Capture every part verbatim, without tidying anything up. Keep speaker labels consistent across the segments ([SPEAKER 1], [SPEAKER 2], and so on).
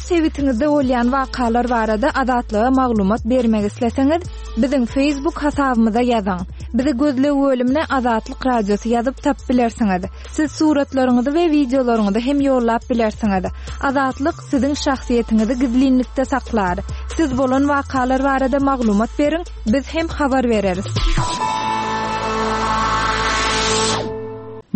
[SPEAKER 1] Sebitiňizde bolýan wakalar barada Azatlyga maglumat bermek isleseňiz, biziň Facebook hasabymyza ýazyň. Bizi gözleg bölümine Azatlyk Radiosy ýazyp tapyp bilersiňiz. Siz suratlaryňyzy we wideolaryňyzy hem ýollap bilersiňiz. Azatlyk siziň şahsyýetiňizi gizlinlikde saklar. Siz bolan wakalar barada maglumat beriň, biz hem habar bereris.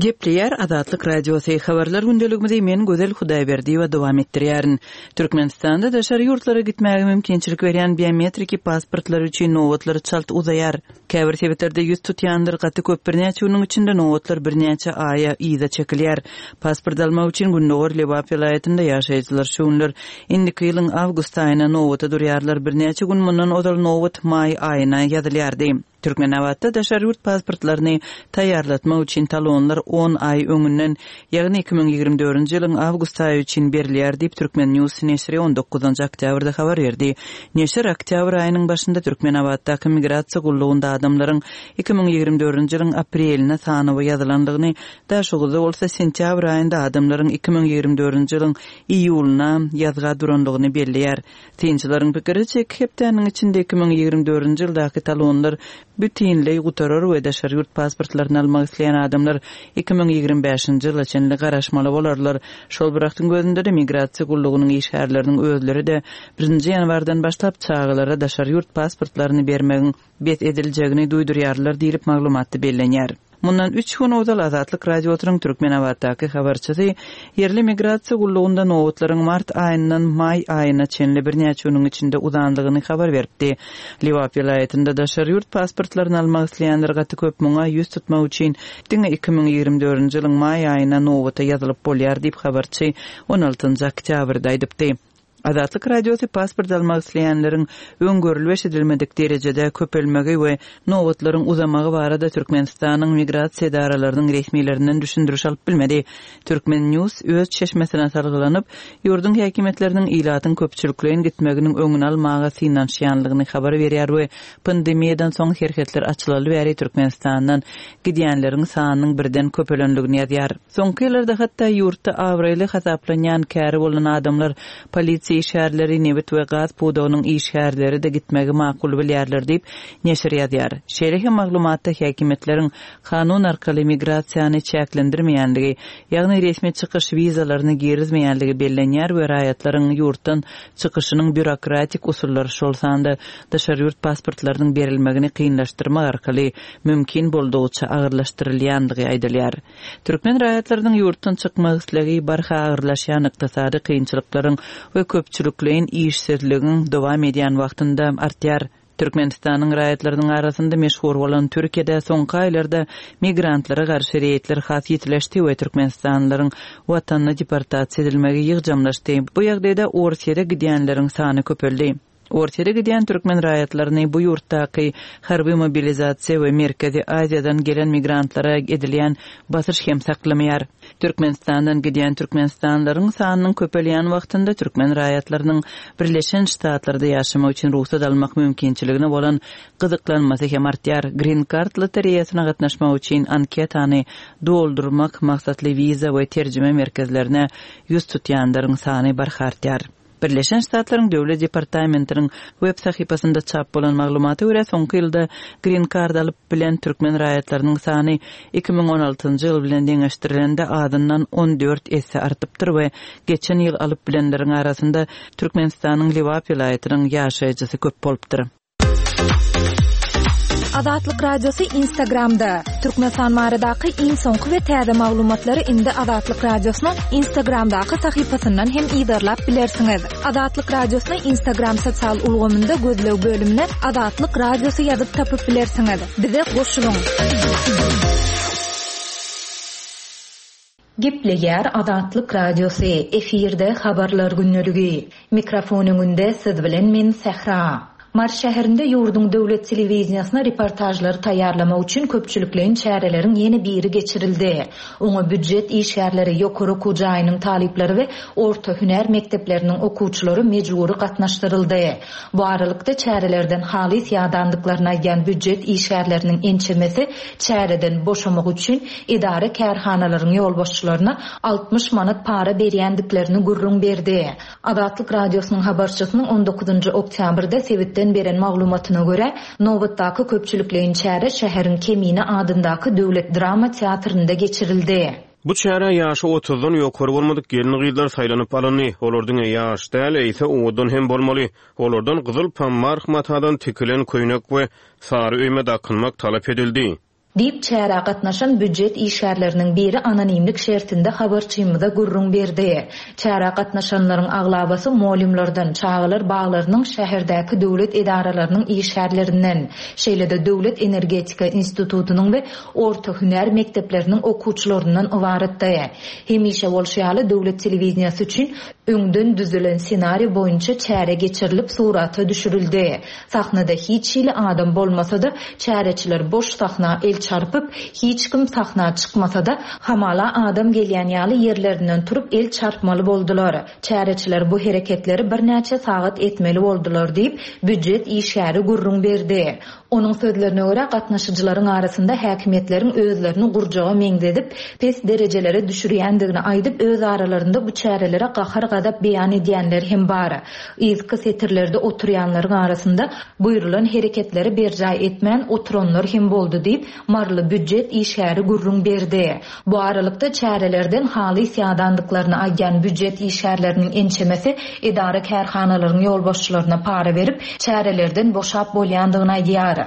[SPEAKER 2] Gepleýär Azatlyk Radiosy habarlar gündeligimizi men Gözel Hudaýberdiýewa dowam etdirýärin. Türkmenistanda daşary ýurtlara gitmäge mümkinçilik berýän biometriki pasportlar üçin nobatlar çalt uzaýar. Käbir sebitlerde ýüz tutýanlar gaty köp birnäçe günüň içinde nobatlar birnäçe aýa yza çekilýär. Pasport almak üçin Gündogar Lebap welaýatynda ýaşaýjylar şu günler indiki ýylyň awgust aýyna nobata durýarlar. Birnäçe gün mundan ozal nobat maý aýyna ýazylýardy. Türkmenabatda daşary ýurt pasportlaryny taýýarlatmak üçin talonlar on aý öňünden, ýagny iki müň ýigrimi dördünji ýylyň awgust aýy üçin berilýär diýip Türkmen News neşiri on dokuzynjy oktýabrda habar berdi. Neşir oktýabr aýynyň başynda Türkmenabatdaky migrasiýa gullugynda adamlaryň iki müň ýigrimi dördünji ýylyň apreline sanawa ýazylandygyny, Daşoguzda bolsa sentýabr aýynda adamlaryň iki müň ýigrimi dördünji ýylyň iýulyna ýazga durandygyny belleýär. Synçylaryň pikiriçe iki hepdäniň içinde iki müň ýigrimi dördünji ýyldaky talonlar bütinleý gutarar we daşary ýurt pasportlaryny almak isleýän adamlar iki müň ýigrimi bäşinji ýyla çenli garaşmaly bolarlar. Şol bir wagtyň özünde-de migrasiýa gullugynyň işgärleriniň özleri-de birinji ýanwardan başlap çagalara daşary ýurt pasportlaryny bermegiň bes ediljegini duýdurýarlar diýlip maglumatda bellenýär. Mundan üç gün ozal Azatlyk Radiosynyň Türkmenabatdaky habarçysy ýerli migrasiýa gullugynda nobatlaryň mart aýyndan maý aýyna çenli birnäçe günüň içinde uzandygyny habar beripdi. Lebap welaýatynda daşary ýurt pasportlaryny almak isleýänler gaty köp, muňa ýüz tutmak üçin diňe iki müň ýigrimi dördünji ýylyň maý aýyna nobata ýazylyp bolýar diýip habarçy on altynjy oktýabrda aýdypdy. Azatlyk Radiosy pasport almak isleýänleriň öňgörülip eşidilmedik derejede köpelmegi we nobatlaryň uzamagy barada Türkmenistanyň migrasiýa edaralarynyň resmilerinden düşündiriş alyp bilmedi. Türkmen News öz çeşmesine salgylanyp, ýurduň häkimiýetleriniň ilatyň köpçülikleýin gitmeginiň öňüni almaga synanyşýanlygyny habar berýär we pandemiýadan soň serhetler açylaly bäri Türkmenistandan gidýänleriň sanynyň birden köpelenligini ýazýar. Soňky ýyllarda hatda ýurtda abraýly hasaplanýan käri bolan adamlar polisiýa işgärleri, nebit we gaz pudagynyň işgärleri de gitmegi makul bilýärler diýip neşir ýazýar. Şeýle hem maglumatda häkimiýetleriň kanun arkaly migrasiýany çäklendirmeýänligi, ýagny resmi çykyş wizalaryny girizmeýänligi bellenýär we raýatlaryň ýurtdan çykyşynyň býurokratik usullary, şol sanda daşary ýurt pasportlarynyň berilmegini kynlaşdyrmak arkaly mümkin boldugyça agyrlaşdyrylýandygy aýdylýar. Türkmen raýatlarynyň ýurtdan çykmak islegi barha agyrlaşýan ykdysady kynçylyklaryň we köpçülikleýin işsizligiň dowam edýän wagtynda artýar. Türkmenistanyň raýatlarynyň arasynda meşhur bolan Türkiýede soňky aýlarda migrantlara garşy reýdler has ýitileşdi we Türkmenistanlylaryň watanyna deportasiýa edilmegi ýygjamlaşdy. Bu ýagdaýda Orsýete gidýänleriň sany köpeldi. Orsýete gidýän türkmen raýatlaryny bu ýurtdaky harby mobilizasiýa we Merkezi Aziýadan gelen migrantlara edilýän basyş hem saklamaýar. Türkmenistandan gidýän Türkmenistanlylaryň sanynyň köpelýän wagtynda türkmen raýatlarynyň Birleşen Ştatlarda ýaşamak üçin rugsat almak mümkinçiligine bolan gyzyklanmasy hem artýar. Green Card lotereýasyna gatnaşmak üçin anketany doldurmak maksatly wiza we terjime merkezlerine ýüz tutýanlaryň sany barha artýar. Birleşen Ştatlaryň Döwlet Departamentiniň web sahypasynda çap bolan maglumata görä soňky ýylda Green Card alyp bilen türkmen raýatlarynyň sany iki müň on altynjy ýyl bilen deňeşdirilende azyndan on dört esse artypdyr we geçen ýyl alyp bilenleriň arasynda Türkmenistanyň Lebap welaýatynyň ýaşaýjysy köp bolupdyr.
[SPEAKER 1] Azatlyk Radiosy Instagramda. Türkmenistan baradaky iň soňky we täze maglumatlary indi Azatlyk Radiosynyň Instagramdaky sahypasyndan hem yzarlap bilersiňiz. Azatlyk Radiosyny Instagram sosial ulgamynda gözleg bölümine Azatlyk Radiosy ýazyp tapyp bilersiňiz. Bize goşulyň.
[SPEAKER 3] Gepleýär Azatlyk Radiosy, efirde habarlar günlügi. Mikrofon öňünde siz bilen men Sähra. Mary şäherinde ýurduň döwlet telewideniýesine reportažlary taýýarlamak üçin köpçülikleýin çäreleriň ýene biri geçirildi. Oňa býujet işgärleri, ýokary okuw jaýynyň talyplary we orta hünär mekdepleriniň okuwçylary mejbury gatnaşdyryldy. Bu aralykda, çärelerden halys ýadandyklaryny aýdýan býujet işgärleriniň ençemesi çäreden boşamak üçin edara-kärhanalaryň ýolbaşçylaryna altmyş manat para berýändiklerini gürrüň berdi. Azatlyk Radiosynyň habarçysynyň on dokuzynjy oktýabrda sebitden beren maglumatyna görä, nobatdaky köpçülikleýin çäre şäheriň Kemine adyndaky döwlet drama teatrynda geçirildi.
[SPEAKER 4] Bu çärä ýaşy otuzdan ýokary bolmadyk gelin-gyzlar saýlanyp alyndy. Olar diňe ýaş däl, eýse owadan hem bolmaly. Olardan gyzyl pammarh matadan tikilen köýnek we sary öýme dakynmak talap edildi.
[SPEAKER 3] Diýip, çärä gatnaşan býujet işgärleriniň biri anonimlik şertinde habarçymyza gürrüň berdi. Çärä gatnaşanlaryň aglabasy mugallymlardan, çagalar baglarynyň şäherdäki döwlet edaralarynyň işgärlerinden, şeýle-de Döwlet energetika institutynyň we orta hünär mekdepleriniň okuwçylaryndan ybaratdy. Hemişe bolşy ýaly, döwlet telewideniýesi üçin öňden düzülen ssenariý boýunça çäre geçirilip, surata düşürildi. Sahnada hiç hili adam bolmasa-da, çäreçiler boş sahna el çarpyp, hiç kim sahna çykmasa-da, hamala adam gelýän ýaly ýerlerinden turup el çarpmaly boldular. Çäreçiler bu hereketleri birnäçe sagat etmeli boldular diýip, býujet işgäri gürrüň berdi. Onuň sözlerine görä, gatnaşyjylaryň arasynda häkimiýetleriň özlerini gurjaga meňzedip, pes derejelere düşürýändigini aýdyp, öz aralarynda bu çärelere gahar-gazap beýan edýänler hem bar. Yzky setirlerde oturýanlaryň arasynda buýrulan hereketleri berjaý etmän oturanlar hem boldy diýip, maryly býujet işgäri gürrüň berdi. Bu aralykda çärelerden halys ýadandyklaryny aýdýan býujet işgärleriniň ençemesi edara-kärhanalaryň ýolbaşçylaryna para berip, çärelerden boşap bolýandygyny aýdýar.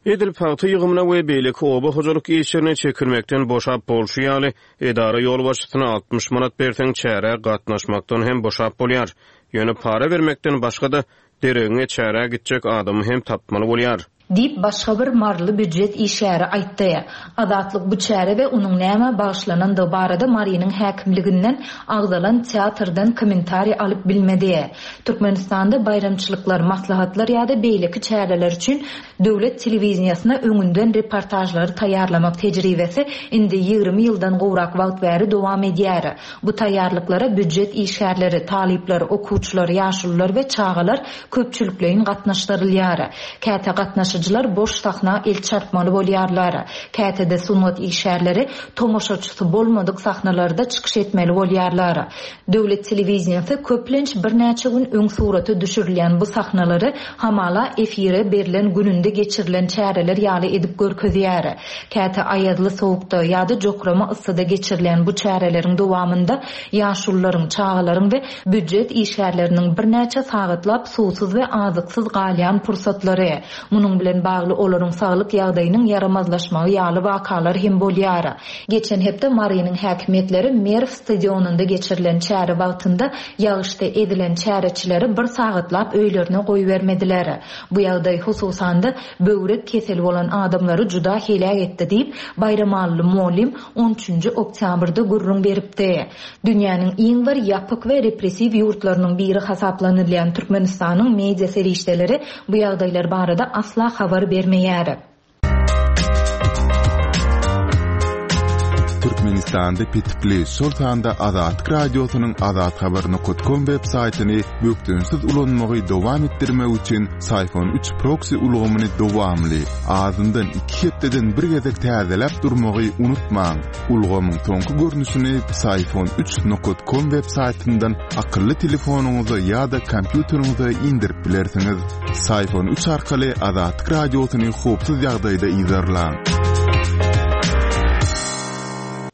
[SPEAKER 4] Edil pagta ýygymyna we beýleki oba hojalyk işlerine çekilmekden boşap bolşy ýaly, edara ýolbaşçysyna altmyş manat berseň çärä gatnaşmakdan hem boşap bolýar. Ýöne para bermekden başga-da deregiňe çärä gitjek adamy hem tapmaly bolýar.
[SPEAKER 3] Diýip, başga bir maryly býujet işgäri aýtdy. Azatlyk bu çäre we onuň nämä bagyşlanandygy barada Marynyň häkimliginden agzalan teatrdan kommentariý alyp bilmedi. Türkmenistanda baýramçylyklar, maslahatlar ýa-da beýleki çäreler üçin döwlet telewideniýesine öňünden reportažlary taýýarlamak tejribesi indi ýigrimi ýyldan gowrak wagt bäri dowam edýär. Bu taýýarlyklara býujet işgärleri, talyplar, okuwçylar, ýaşulular we çagalar köpçülikleýin gatnaşdyrylýar. Käte gatnaşyjylar boş sahna el çarpmaly bolýarlar. Käte-de sungat işgärleri tomaşaçysy bolmadyk sahnalarda çykyş etmeli bolýarlar. Döwlet telewideniýesi köplenç birnäçe gün öň surata düşürilýän bu sahnalary hamala efire berlen gününde geçirilen çäreler ýaly edip görkezýär. Käte aýazly sowukda ýa-da jokrama yssyda geçirilen bu çäreleriň dowamynda ýaşulularyň, çagalaryň we býujet işgärleriniň birnäçe sagatlap suwsuz we azyksyz galýan pursatlary, munuň bilen bagly olaryň saglyk ýagdaýynyň ýaramazlaşmagy ýaly wakalar hem bolýar. Geçen hepde Marynyň häkimiýetleri Merw stadionynda geçirilen çäre wagtynda ýagyşda edilen çäreçileri bir sagatlap öýlerine goýbermediler. Bu ýagdaý hususan-da böwrek keseli bolan adamlary juda heläk etdi diýip, Baýramalyly mugallym on üçünji oktýabrda gürrüň beripdi. Dünýäniň iň bir ýapyk we repressiw ýurtlarynyň biri hasaplanylýan Türkmenistanyň media serişdeleri bu ýagdaýlar barada asla habar bermeýär.
[SPEAKER 5] Türkmenistanda petikli, şol sanda Azatlyk Radiosynyň azathabar nokta com web saýtyny bökdençsiz ulanmagy dowam etdirmek üçin Syfon üç proxy ulgamyny dowamly, azyndan iki hepdeden bir gezek täzeläp durmagy unutmaň. Ulgamyň soňky görnüşini Syfon üç nokta com web saýtyndan akylly telefonyňyza ýa-da kompýuteriňize indirip bilersiňiz. Syfon üç arkaly Azatlyk Radiosyny howpsuz ýagdaýda yzarlaň.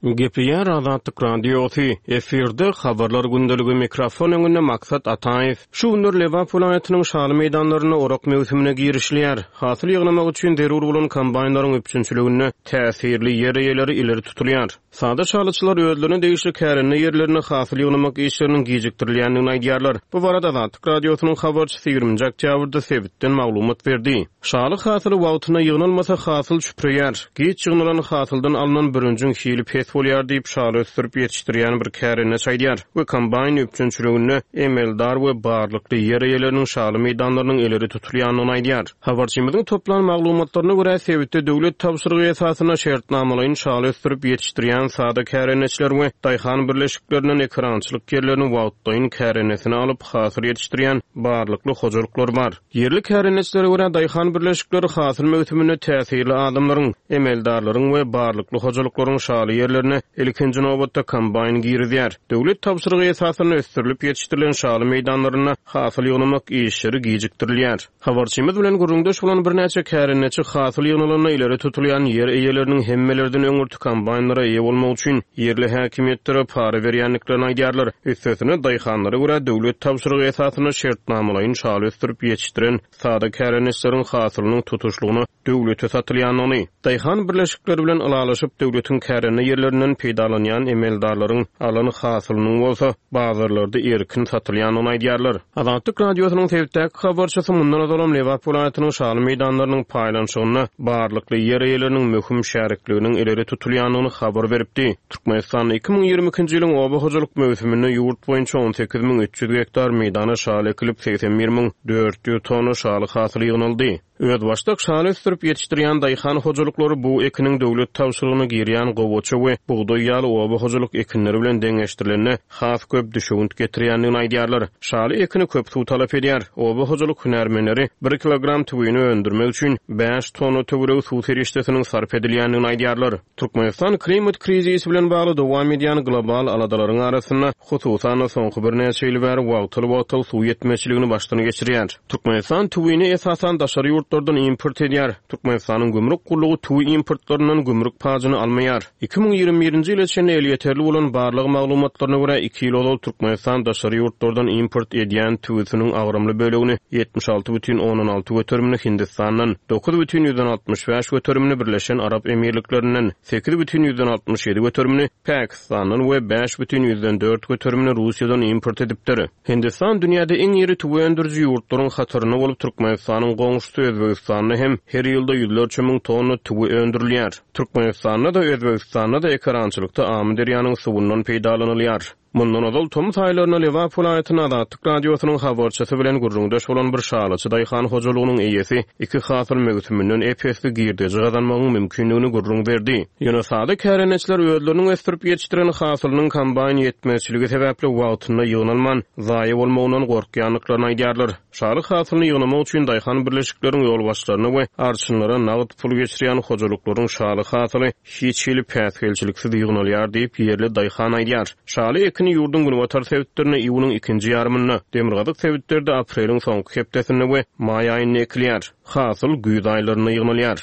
[SPEAKER 4] Gepleýär Azatlyk Radiosy. Efirde habarlar gündeligi, mikrofon öňünde Maksat Ataýew. Şu günler Lebap welaýatynyň şaly meýdanlarynda orak möwsümine girişilýär. Hasyl ýygnamak üçin zerur bolan kombaýnlaryň üpjünçiliginde täsirli ýer eýeleri ileri tutulýar. Sada şalyçylar özlerine degişli kärende ýerlerine hasyl ýygnamak işleriniň gijikdirilýändigini aýdýarlar. Bu barada Azatlyk Radiosynyň habarçysy ýigriminji oktýabrda sebitden maglumat berdi. Şaly hasyly wagtynda ýygnalmasa hasyl çüpreýär. Geç ýygnalan hasyldan alynan bürünjiň hili pes pes bolýar diýip, şaly ösdürip ýetişdirýän bir kärendeçi aýdýar we kombaýn üpjünçiliginde emeldar we barlykly ýer eýeleriniň şaly meýdanlarynyň ileri tutulýandygyny aýdýar. Habarçymyzyň toplan maglumatlaryna görä, sebitde döwlet tabşyrygy esasynda şertnamalaýyn şaly ösdürip ýetişdirýän sada kärendeçiler we daýhan birleşiklerinden ekerançylyk ýerlerini wagtlaýyn kärendeçine alyp hasyl ýetişdirýän barlykly hojalyklar bar. Ýerli kärendeçilere görä, daýhan birleşikleri hasyl möwsüminde täsirli adamlaryň, emeldarlaryň we barlykly hojalyklaryň şaly ýerlerine ilkinji nobatda kombaýn girizýär. Döwlet tabşyrygy esasynda ösdürilip ýetişdirilen şaly meýdanlarynda hasyl ýygnamak işleri gijikdirilýär. Habarçymyz bilen gürrüňdeş bolan birnäçe kärendeçi hasyl ýygnalanda ileri tutulýan ýer eýeleriniň hemmelerden öňürti kombaýnlara eýe bolmak üçin ýerli häkimiýetlere para berýändiklerini aýdýarlar. Üstesine daýhanlara görä döwlet tabşyrygy esasynda şertnamalaýyn şaly ösdürip ýetişdiren sada kärendeçileriň hasylynyň tutuşlygyna döwlete satylýandygyny, daýhan birleşikleri bilen ylalaşyp döwletiň kärende ýerlerinden peýdalanýan emeldarlaryň alan hasylynyň bolsa bazarlarda erkin satylýandygyny aýdýarlar. Azatlyk Radiosynyň sebitdäki habarçysy mundan ozalam Lebap welaýatynyň şaly meýdanlarynyň paýlanyşygynda barlykly ýer eýeleriniň möhüm şärikliginiň ileri tutulýandygyny habar beripdi. Türkmenistanda iki müň ýigrimi ikinji ýylyň oba hojalyk möwsüminde ýurt boýunça on sekiz müň üç ýüz gektar meýdana şaly ekilip, segsen bir müň dört ýüz tonna şaly hasyly ýygnaldy. Özbaşdak şaly ösdürip ýetişdirýän daýhan hojalyklary bu ekiniň döwlet tabşyrygyna girýän gowaça we bugdaý ýaly oba hojalyk ekinleri bilen deňeşdirilende has köp düşewünt getirýändigini aýdýarlar. Şaly ekini köp suw talap edýär. Oba hojalyk hünärmenleri bir kilogram tüwini öndürmek üçin bäş tonna töweregi suw serişdesiniň sarp edilýändigini aýdýarlar. Türkmenistan klimat krizisi bilen bagly dowam edýän global aladalaryň arasynda hususan soňky birnäçe ýyl bäri wagtal-wagtal suw ýetmezçiligini başdan geçirýär. Türkmenistan tüwini esasan daşary ýurtlardan import edýär. Türkmenistanyň gümrük gullugy tüwi importlaryndan gümrük pajyny almaýar. iki müň ýigrimi birinji ýyla çenli elýeterli bolan barlag maglumatlaryna görä iki ýyl ozal Türkmenistan daşary ýurtlardan import edýän tüwisiniň agramly bölegini ýetmiş alty bütin ondan alty göterimini Hindistandan, dokuz bütin ýüzden altmyş bäş göterimini Birleşen Arap Emirliklerinden, sekiz bütin ýüzden altmyş ýedi göterimini Pakistandan we bäş bütin ýüzden dört göterimini Russiýadan import edipdir. Hindistan dünýäde iň iri tüwi öndüriji ýurtlaryň hatarynda bolup Türkmenistanyň goňşusy Özbegistanda hem her ýylda ýüzlerçe müň tonna tüwi öndürilýär. Türkmenistanda da Özbegistanda da ekerançylykda Amyderýanyň suwundan peýdalanylýar. Mundan ozal tomus aýlarynda Lebap welaýatynyň Azatlyk Radiosynyň habarçysy bilen gürrüňdeş bolan bir şalyçy daýhan hojalygynyň eýesi iki hasyl möwsüminden ep-esli girdeji gazanmagyň mümkinligini gürrüň berdi. Ýöne sada kärendeçiler özleriniň ösdürip ýetişdiren hasylynyň kombaýn ýetmezçiligi sebäpli wagtynda ýygnalman, zaýa bolmagyndan gorkýandyklaryny aýdýarlar. Şaly hasylyny ýygnamak üçin daýhan birleşikleriň ýolbaşçylaryna we arçynlara nagt pul geçirýän hojalyklaryň şaly hasyly hiç hili päsgelçiliksiz ýygnalýar diýip ýerli daýhan aýdýar. Şaly ekini ýurduň günbatar sebitlerinde iýunyň ikinji ýarymynda, demirgazyk sebitlerde apreliň soňky hepdesinde we maý aýynda ekilýär. Hasyl güýz aýlarynda ýygnalýar.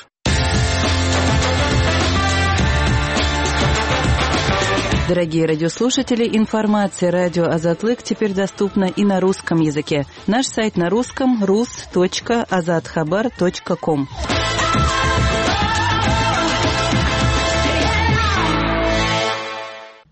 [SPEAKER 2] Дорогие радиослушатели, информация радио Азатлык теперь доступна и на русском языке. Наш сайт на русском рус точка азатхабар точка ком.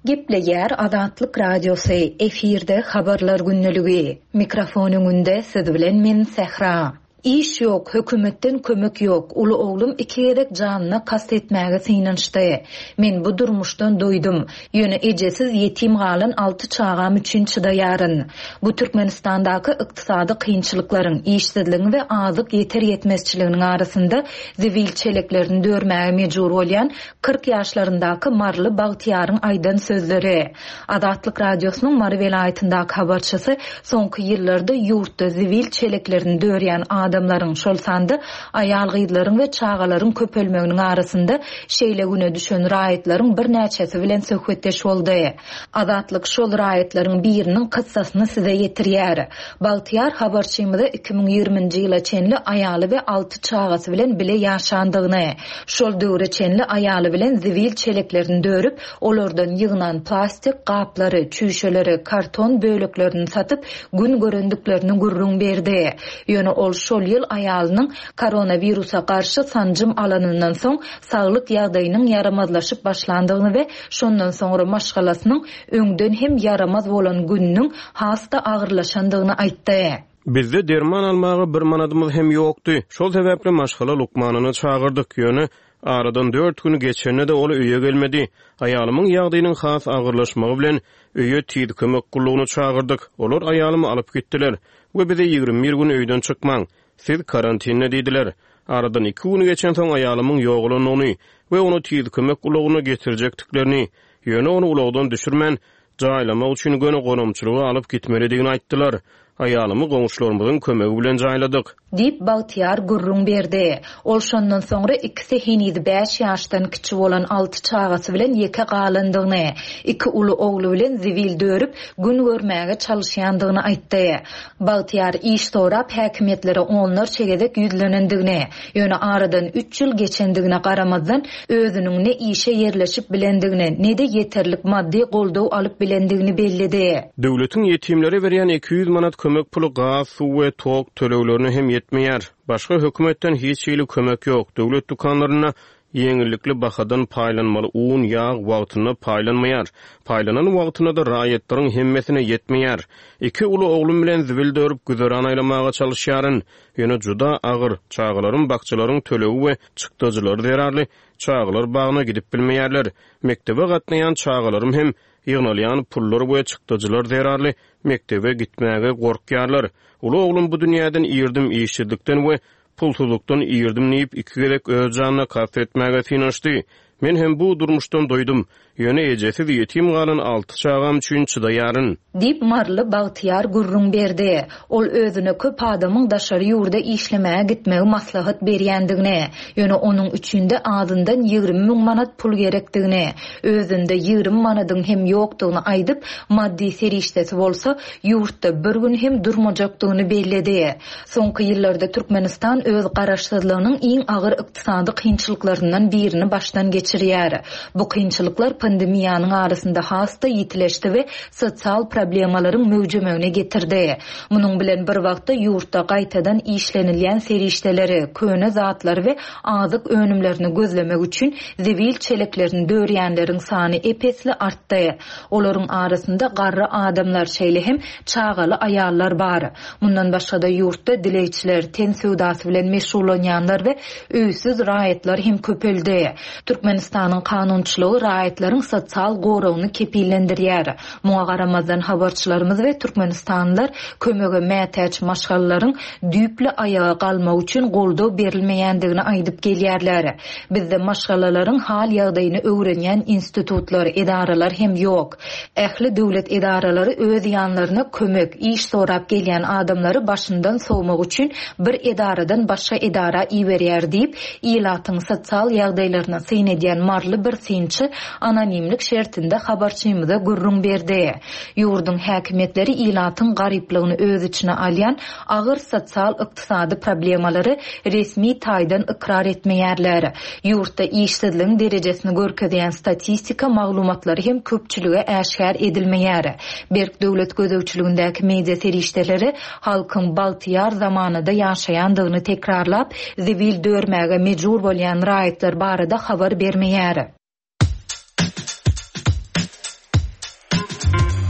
[SPEAKER 3] Gepleýär Azatlyk Radiosy, efirde habarlar günlügi. Mikrofon öňünde siz bilen men Sähra. Iş ýok, hökümetden kömek ýok. Uly oglum iki gezek janyna kast etmäge synanyşdy. Men bu durmuşdan doýdum. Ýöne ejesiz ýetim galan alty çagam üçin çydaýaryn. Bu Türkmenistandaky ykdysady kynçylyklaryň, işsizligiň we azyk ýeter ýetmezçiliginiň arasynda zibil çeleklerini dörmäge mejbur bolýan kyrk ýaşlaryndaky Marly Bagtyýaryň aýdan sözleri. Azatlyk Radiosynyň Mary welaýatyndaky habarçysy soňky ýyllarda ýurtda zibil çeleklerini dörýän adamlaryň, şol sanda aýal gyzlaryň we çagalaryň köpelmeginiň arasynda şeýle güne düşen raýatlaryň birnäçesi bilen söhbetdeş boldy. Azatlyk şol raýatlaryň biriniň kyssasyny size ýetirýär. Bagtyýar habarçymyza iki müň ýigriminji ýyla çenli aýaly we alty çagasy bilen bile ýaşandygyny, şol döwre çenli aýaly bilen zibil çeleklerini dörüp, olardan ýygnan plastik gaplary, çüýşeleri, karton böleklerini satyp gün görendiklerini gürrüň berdi. Ýöne ol şol ýyl aýalynyň koronawirusa garşy sanjym alanyndan soň saglyk ýagdaýynyň ýaramazlaşyp başlandygyny we şondan soňra maşgalasynyň öňden hem ýaramaz bolan gününiň has-da agyrlaşandygyny aýtdy.
[SPEAKER 4] Bizde derman almaga bir manadymyz hem ýokdy. Şol sebäpli maşgala lukmanyny çagyrdyk. Ýöne Aradan dört gün geçende-de ol öýe gelmedi. Aýalymyň ýagdaýynyň has agyrlaşmagy bilen öýe tiz kömek gullugyny çagyrdyk. Olar aýalymy alyp gitdiler we bize ýigrimi bir gün öýden çykmaň, siz karantinde diýdiler. Aradan iki gün geçensoň aýalymyň ýogalandygyny we ony tiz kömek ulagyna getirjekdiklerini, ýöne ony ulagdan düşürmän, jaýlamak üçin göni gonamçylyga alyp gitmelidigini aýtdylar. Aýalymy goňşularymyzyň kömegi bilen jaýladyk.
[SPEAKER 3] Diýip, Bagtyýar gürrüň berdi. Ol şondan soňra ikisi heniz bäş ýaşdan kiçi bolan alty çagasy bilen ýeke galandygyny, iki uly ogly bilen zibil dörüp, gün görmäge çalyşýandygyny aýtdy. Bagtyýar iş sorap häkimiýetlere onlarça gezek ýüzlenendigini, ýöne aradan üç ýyl geçendigine garamazdan, özüniň ne işe ýerleşip bilendigini, ne-de ýeterlik maddy goldaw alyp bilendigini belledi.
[SPEAKER 4] Döwletiň ýetimlere berýän iki ýüz manat kömek puly gaz, suw we tok töleglerine hem ýetmeýär. Başga hökümetden hiç hili kömek ýok. Döwlet dükanlarynda ýeňillikli bahadan paýlanmaly un, ýag wagtynda paýlanmaýar. Paýlanan wagtynda-da raýatlaryň hemmesine ýetmeýär. Iki uly oglum bilen zibil dörüp güzeran aýlamaga çalyşýaryn. Ýöne juda agyr. Çagalarym bakjalaryň tölegi we çykdajylary zerarly çagalar bagyna gidip bilmeýärler. Mekdebe gatnaýan çagalarym hem ýygnalýan pullar we çykdajylar zerarly mekdebe gitmäge gorkýarlar. Uly oglum bu dünýäden irdim, işsizlikden we pulsuzlukdan irdim diýip iki gezek öz janyna kast etmäge synanyşdy. Men hem bu durmuşdan doýdum. Ýöne ejesiz ýetim galan alty çagam üçin çydaýaryn.
[SPEAKER 3] Diýip, maryly Bagtyýar gürrüň berdi. Ol özüne köp adamyň daşary ýurda işlemäge gitmegi maslahat berýändigini, ýöne onuň üçin-de azyndan ýigrimi müň manat pul gerekdigini, özünde ýigrimi manadyň hem ýokdugyny aýdyp, maddy serişdesi bolsa, ýurtda bir gün hem durmajakdygyny belledi. Soňky ýyllarda Türkmenistan öz garaşsyzlygynyň iň agyr ykdysady kynçylyklaryndan birini başdan geçirýär. Bu kynçylyklar pandemiýanyň arasynda has-da ýitileşdi we sosial problemalaryň möwjemegine getirdi. Munuň bilen bir wagtda ýurtda gaýtadan işlenilýän serişdeleri, köne zatlary we azyk önümlerini gözlemek üçin zibil çeleklerini dörýänleriň sany ep-esli artdy. Olaryň arasynda garry adamlar, şeýle hem çagaly aýallar bar. Mundan başga-da ýurtda dilegçiler, ten söwdasy bilen meşgullanýanlar we öýsüz raýatlar hem köpeldi. Türkmenistanyň kanunçylygy raýatlaryň sosial goragyny kepillendirýär. Muňa garamazdan habarçylarymyz we türkmenistanlylar kömege mätäç maşgalalaryň düýpli aýaga galmak üçin goldaw berilmeýändigini aýdyp gelýärler. Bizde maşgalalaryň hal ýagdaýyny öwrenýän institutlar, edaralar hem ýok. Ähli döwlet edaralary öz ýanlaryna kömek, iş sorap gelýän adamlary başyndan sowmak üçin bir edaradan başga edara iberýär diýip, ilatyň sosial ýagdaýlaryna syn edýän maryly bir synçy anonimlik şertinde habarçymyza gürrüň berdi. Ýurduň häkimiýetleri ilatyň garyplygyny öz içine alýan agyr sosial-ykdysady problemalary resmi taýdan ykrar etmeýärler. Ýurtda işsizligiň derejesini görkezýän statistika maglumatlary hem köpçülige äşgär edilmeýär. Berk döwlet gözegçiligindäki media serişdeleri halkyň bagtyýar zamanada ýaşaýandygyny tekrarlap, zibil dörmäge mejbur bolýan raýatlar barada habar bermeýär.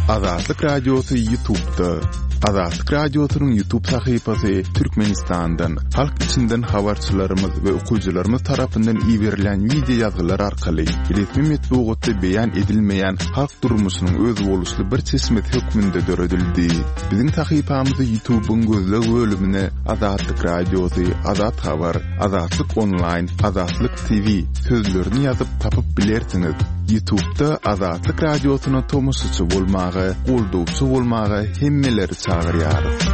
[SPEAKER 5] Azatlyk Radiosy YouTube'da. Azatlyk Radiosynyň YouTube sahypasy Türkmenistandan, halk içinden habarçylarymyz we okyjylarymyz tarapyndan iberilen wideo ýazgylar arkaly resmi metbugatda beýan edilmeýän halk durmuşynyň özboluşly bir çeşmesi hökmünde döredildi. Biziň sahypamyzy YouTube'yň gözleg bölümine Azatlyk Radiosy, Azat Habar, Azatlyk Online, Azatlyk T V sözlerini ýazyp tapyp bilersiňiz. YouTube'da Azatlyk Radiosyna tomaşaçy bolmaga, goldawçy bolmaga hemmeleri çagyrýarys.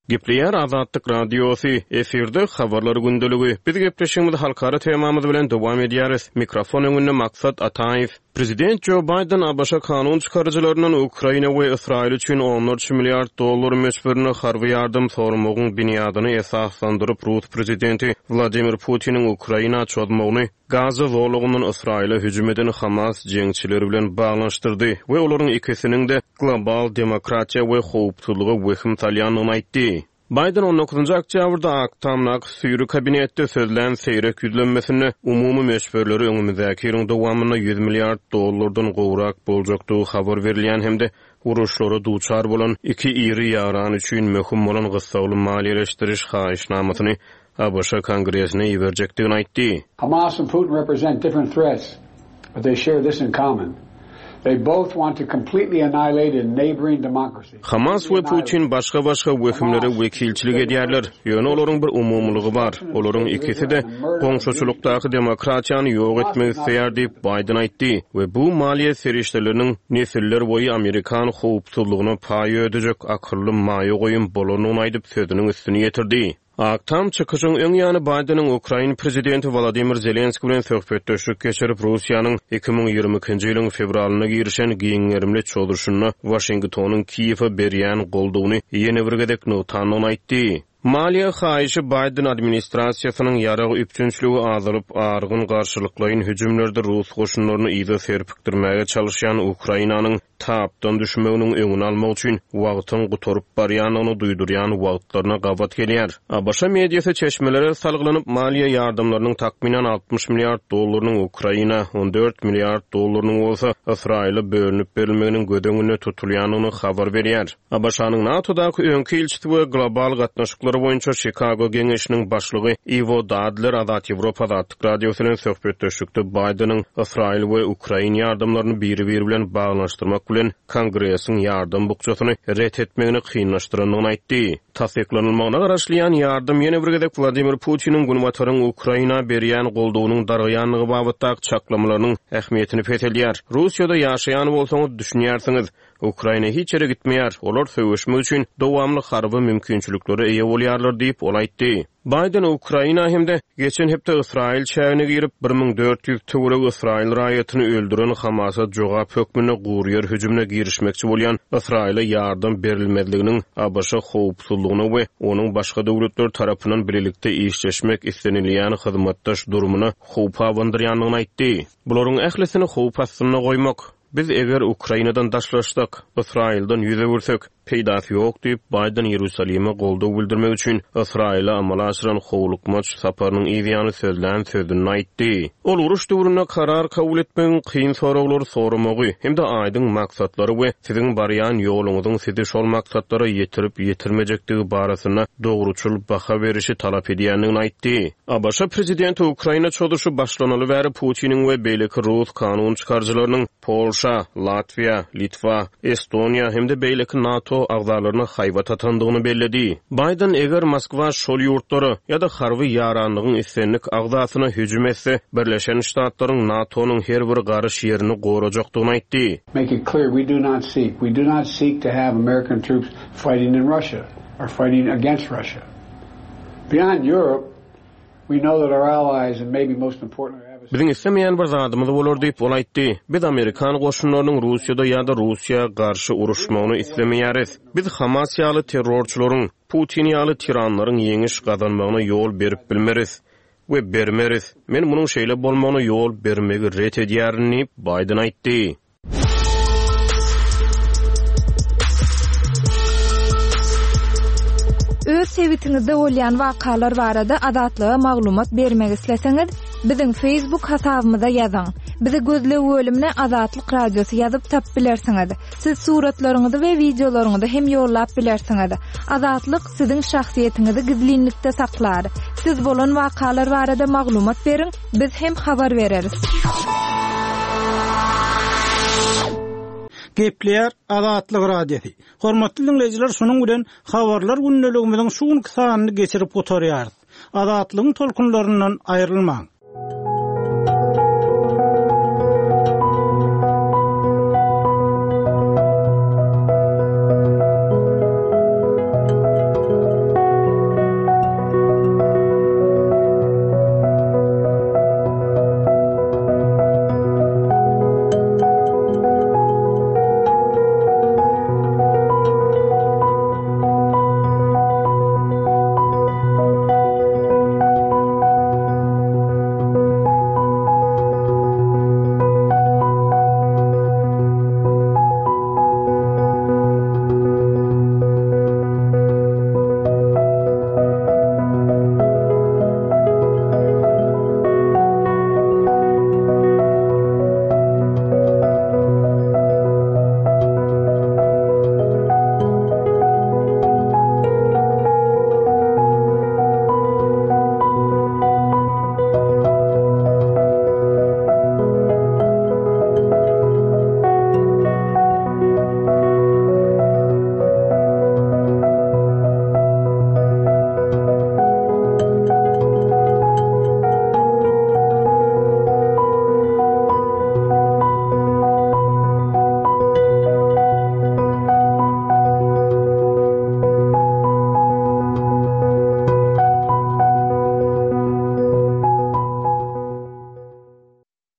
[SPEAKER 4] Gepleýär Azatlyk Radiosy, efirde habarlar gündeligi. Biz gepleşigimizi halkara temamyz bilen dowam edýäris. Mikrofon öňünde Maksat Ataýew. Prezident Joe Biden A B Ş kanun çykaryjylaryndan Ukraina we Ysraýyl üçin onlarça milliard dollar möçberinde harby ýardam sormagyň binýadyny esaslandyryp Rus prezidenti Wladimir Putiniň Ukraina çozmagyny Gaza zolagyndan Ysraýyla hüjüm eden Hamas jeňçileri bilen baglanyşdyrdy we olaryň ikisiniň de global demokratiýa we howpsuzlyga wehim salýandygyny aýtdy. Biden on dokuzynjy oktýabrda Ak Tamdaky süýri kabinetde sözlän seýrek ýüzlenmesinde umumy möçberleri öňümizdäki ýylyň dowamynda ýüz milliard dollardan gowrak boljakdygy habar berilýän hem-de uruşlara duçar bolan iki iri ýaran üçin möhüm bolan gyssagly maliýeleşdiriş haýyşnamasyny ABŞ Kongresine iberjekdigini aýtdy.
[SPEAKER 6] Hamas and Putin represent different threats, but they share this in common. They both want to completely annihilate a neighboring democracy.
[SPEAKER 4] Hamas we Putin başga-başga wehimlere wekilçilik edýärler, ýöne olaryň bir umumylygy bar, olaryň ikisi-de goňşuçylykdaky demokratiýany ýok etmek isleýär diýip, Baýden aýtdy we bu maliýe serişdeleriniň nesiller boýy amerikan howpsuzlygyna paý ödejek akylly maýa goýum bolandygyny aýdyp, sözüniň üstüni ýetirdi. Ak Tam çykyşyň öň ýany Baýdeniň ukrain prezidenti Wolodymyr Zelenskiý bilen söhbetdeşlik geçirip, Russiýanyň iki müň ýigrimi ikinji ýylyň fewralynda girişen giň gerimli çozuşynda Waşingtonyň Kiýewe berýän goldawyny ýene bir gezek nygtandygyny aýtdy. Maliýe haýyşy Baýden administrasiýasynyň ýarag üpjünçiligi azalyp, argyn garşylyklaýyn hüjümlerde rus goşunlaryny yza serpikdirmäge çalyşýan Ukrainanyň tapdan düşmeginiň öňüni almak üçin wagtyň gutaryp barýandygyny duýdurýan wagtlaryna gabat gelýär. ABŞ mediasy çeşmelere salgylanyp, maliýe ýardamlarynyň takmynan altmyş milliard dollarynyň Ukraina, on dört milliard dollarynyň bolsa Ysraýyla bölünip berilmeginiň göz öňünde tutulýandygyny habar berýär. ABŞ-nyň NATO-daky öňki ilçisi we global gatnaşyklar boýunça Çikago geňeşiniň başlygy Iwo Dadler Azat Ýewropa Azatlyk Radiosy bilen söhbetdeşlikde Baýdeniň Ysraýyl we Ukraina ýardamlaryny biri-biri bilen baglanyşdyrmak bilen Kongresiň ýardam bukjasyny ret etmegini kynlaşdyrandygyny aýtdy. Tassyklanylmagyna garaşylýan ýardam ýene bir gezek Wladimir Putiniň Günbataryň Ukraina berýän goldawynyň dargaýandygy babatdaky çaklamalarynyň ähmiýetini peseldýär. Russiýada ýaşaýan bolsaňyz düşünýärsiňiz, Ukraina hiç ýere gitmeýär, olar söweşmek üçin dowamly harby mümkinçiliklere eýe bolýarlar diýip, ol aýtdy. Baýden Ukraina hem-de geçen hepde Ysraýyl çägine girip, bir müň dört ýüz töweregi Ysraýyl raýatyny öldüren Hamasa jogap hökmünde gury ýer hüjümine girişmekçi bolýan Ysraýyla ýardam berilmezliginiň ABŞ howpsuzlygyna we onuň başga döwletler tarapyndan bilelikde işleşmek islenilýän hyzmatdaş durumyna howp abandyrýandygyny aýtdy. Bularyň ählisini howp astynda goýmak, biz eger Ukrainadan daşlaşsak, Ysraýyldan ýüz öwürsek, peýdasy ýok diýip, Baýden Ýerusalime goldaw bildirmek üçin Ysraýyla amala aşyran howlukmaç saparynyň yz ýany sözlän sözüni aýtdy. Ol uruş döwründe karar kabul etmegiň kyn soraglary soramagy hem-de aýdyň maksatlary we siziň barýan ýoluňyzyň sizi şol maksatlara ýetirip ýetirmejekdigi barasynda dogruçyl baha berişi talap edýändigini aýtdy. ABŞ prezidenti Ukraina çozuşy başlanaly bäri Putiniň we beýleki rus kanun çykaryjylarynyň Polşa, Latwiýa, Litwa, Estoniýa hem-de beýleki NATO agzalaryna haýbat atandygyny belledi. Baýden eger Moskwa şol ýurtlara ýa-da harby ýaranlygyň islendik agzasyna hüjüm etse, Birleşen Ştatlaryň NATO-nyň her bir garyş ýerini gorajakdygyny aýtdy.
[SPEAKER 6] Make it clear, we do not seek, we do not seek to have American troops fighting in Russia or fighting against Russia. Beyond Europe, we know that our allies and maybe most importantly our adversaries
[SPEAKER 4] Biziň islemeýän bir zadymyz bolar diýip, ol aýtdy. Biz amerikan goşunlarynyň Russiýada ýa-da Russiýa garşy uruşmagyny islemeýäris. Biz Hamas ýaly terrorçylaryň, Putin ýaly tiranlaryň ýeňiş gazanmagyna ýol berip bilmeris we bermeris. Men munuň şeýle bolmagyna ýol bermegi ret edýärin diýip, Baýden aýtdy.
[SPEAKER 1] Öz sebitiňizde bolýan wakalar barada Azatlyga maglumat bermek isleseňiz, biziň Facebook hasabymyza ýazyň. Bizi gözleg bölümine Azatlyk Radiosy ýazyp tapyp bilersiňiz. Siz suratlaryňyzy we wideolaryňyzy hem ýollap bilersiňiz. Azatlyk siziň şahsyýetiňizi gizlinlikde saklar. Siz bolan wakalar barada maglumat beriň, biz hem habar bereris.
[SPEAKER 7] Gepleýär Azatlyk Radiosy. Hormatly dinleýjiler, şunuň bilen habarlar gündeligimiziň şu günki sanyny geçirip gutarýarys. Azatlygyň tolkunlaryndan aýrylmaň.